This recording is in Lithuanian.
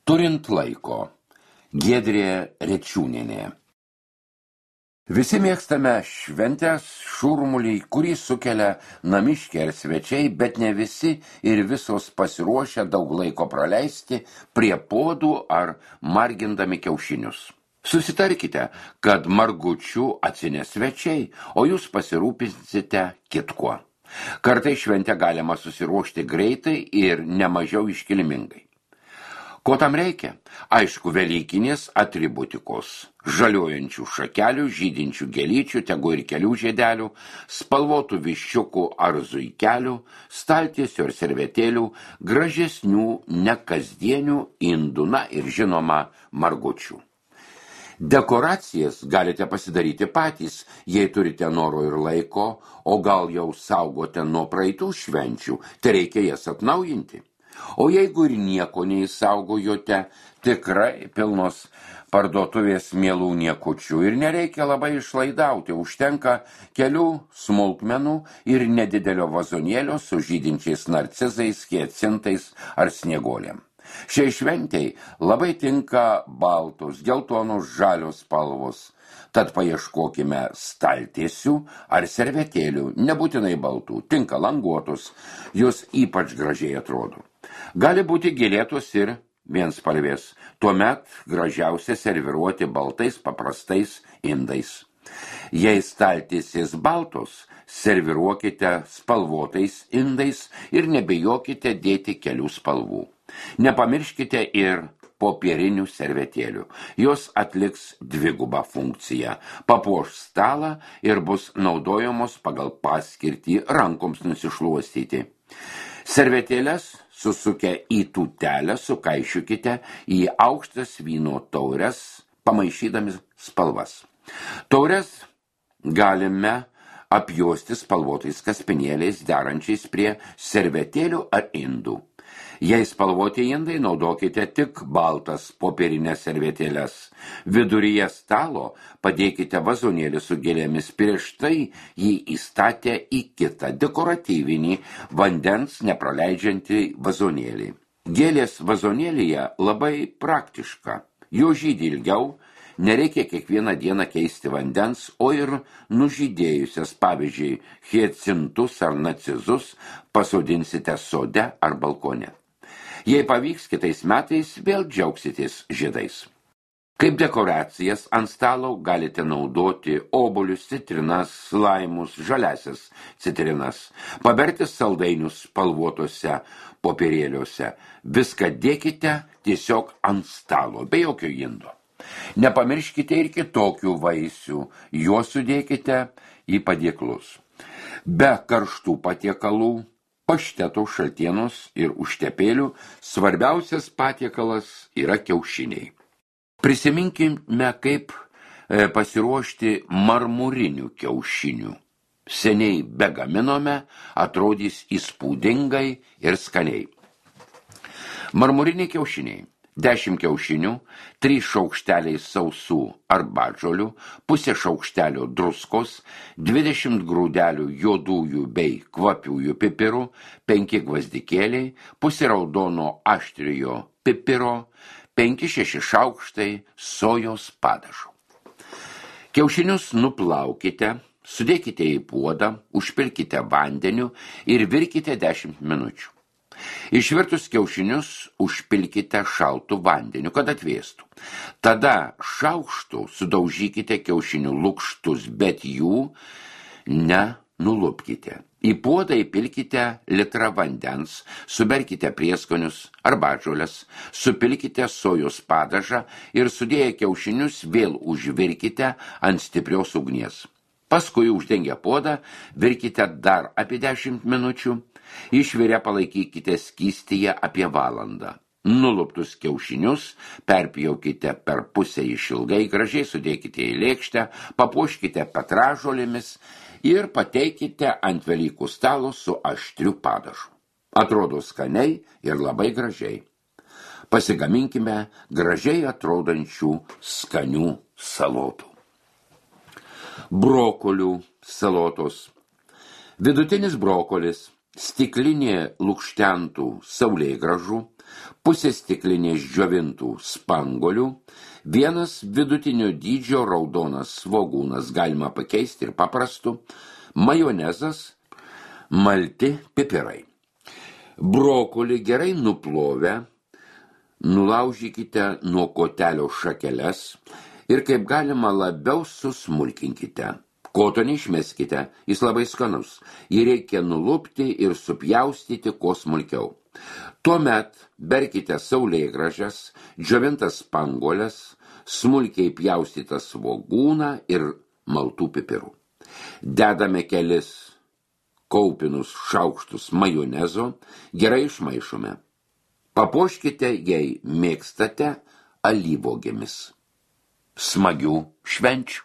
Turint laiko. Giedrė Rečiūnienė. Visi mėgstame šventės šurmulį, kurį sukelia namiškiai ar svečiai, bet ne visi ir visos pasiruošę daug laiko praleisti prie puodų ar margindami kiaušinius. Susitarkite, kad margučių atsineš svečiai, o jūs pasirūpinsite kitkuo. Kartais šventę galima susiruošti greitai ir nemažiau iškilmingai. Ko tam reikia? Aišku, velykinės atributikos. Žaliuojančių šakelių, žydinčių gėlyčių, tegu ir kelių žiedelių, spalvotų viščiukų ar zuikelių, staltiesių ir servetėlių, gražesnių, nekasdienių indų, na ir žinoma margučių. Dekoracijas galite pasidaryti patys, jei turite noro ir laiko, o gal jau saugote nuo praeitų švenčių, tai reikia jas atnaujinti. O jeigu ir nieko neįsaugojote, tikrai pilnos parduotuvės mielų niekučių ir nereikia labai išlaidauti, užtenka kelių smulkmenų ir nedidelio vazonėlio su žydinčiais narcizais, hiacintais ar snieguolėm. Šiai šventei labai tinka baltos, geltonos, žalios spalvos, tad paieškokime staltiesių ar servetėlių, nebūtinai baltų, tinka languotus, jos ypač gražiai atrodo. Gali būti gėlėtos ir vienspalvės, tuomet gražiausia serviruoti baltais paprastais indais. Jei staltiesės baltos, serviruokite spalvotais indais ir nebijokite dėti kelių spalvų. Nepamirškite ir popierinių servetėlių. Jos atliks dvigubą funkciją. Papuoš stalą ir bus naudojamos pagal paskirtį rankoms nusišluostyti. Servetėlės susukę į tūtelę sukaišiukite į aukštas vyno taures, pamaišydami spalvas. Taures galime apjuosti spalvotais kaspinėliais derančiais prie servetėlių ar indų. Jei spalvoti indai, naudokite tik baltas popierinės servetėles. Viduryje stalo padėkite vazonėlį su gėlėmis, prieš tai jį įstatę į kitą dekoratyvinį vandens nepraleidžiantį vazonėlį. Gėlės vazonėlyje labai praktiška. Jo žydi ilgiau, nereikia kiekvieną dieną keisti vandens, o ir nužydėjusias, pavyzdžiui, hiacintus ar narcizus pasodinsite sode ar balkone. Jei pavyks, kitais metais vėl džiaugsitės žiedais. Kaip dekoracijas ant stalo galite naudoti obuolius, citrinas, laimus, žaliasias citrinas, paberti saldainius spalvotose popierėliuose. Viską dėkite tiesiog ant stalo, be jokio indo. Nepamirškite ir kitokių vaisių, juos sudėkite į padėklus. Be karštų patiekalų, pašteto, šaltienos ir užtepėlių svarbiausias patiekalas yra kiaušiniai. Prisiminkime, kaip pasiruošti marmurinių kiaušinių. Seniai begaminome, atrodys įspūdingai ir skaniai. Marmuriniai kiaušiniai. 10 kiaušinių, 3 šaukšteliai sausų arbatžolių, pusė šaukštelio druskos, 20 grūdelių juodųjų bei kvapiųjų pipirų, 5 gvazdikėliai, pusė raudono aštriojo pipiro, 5-6 šaukštai sojos padažo. Kiaušinius nuplaukite, sudėkite į puodą, užpilkite vandeniu ir virkite 10 minučių. Išvirtus kiaušinius užpilkite šaltu vandeniu, kad atvėstų. Tada šaukštu sudaužykite kiaušinių lukštus, bet jų nenulupkite. Į puodą įpilkite litrą vandens, suberkite prieskonius, arbatžoles, supilkite sojos padažą ir sudėję kiaušinius vėl užvirkite ant stiprios ugnies. Paskui uždengę puodą virkite dar apie 10 minučių. Išvirę palaikykite skystyje apie valandą. Nuluptus kiaušinius perpjaukite per pusę išilgai, gražiai sudėkite į lėkštę, papuoškite petražolėmis ir pateikite ant Velykų stalo su aštriu padažu. Atrodo skaniai ir labai gražiai. Pasigaminkime gražiai atrodančių skanių salotų. Brokolių salotos. Vidutinis brokolis stiklinė lukštentų saulėgražų, pusė stiklinės džiovintų spangolių, vienas vidutinio dydžio raudonas svogūnas, galima pakeisti ir paprastu, majonezas, malti pipirai. Brokolį gerai nuplovę, nulaužykite nuo kotelio šakeles ir kaip galima labiau susmulkinkite. Koto neišmeskite, jis labai skanus, jį reikia nulupti ir supjaustyti kuo smulkiau. Tuomet berkite saulėgražas, džiovintas spanguoles, smulkiai pjaustytą svogūną ir maltų pipirų. Dedame kelis kaupinus šaukštus majonezo, gerai išmaišome. Papuoškite, jei mėgstate, alyvuogėmis. Smagių švenčių.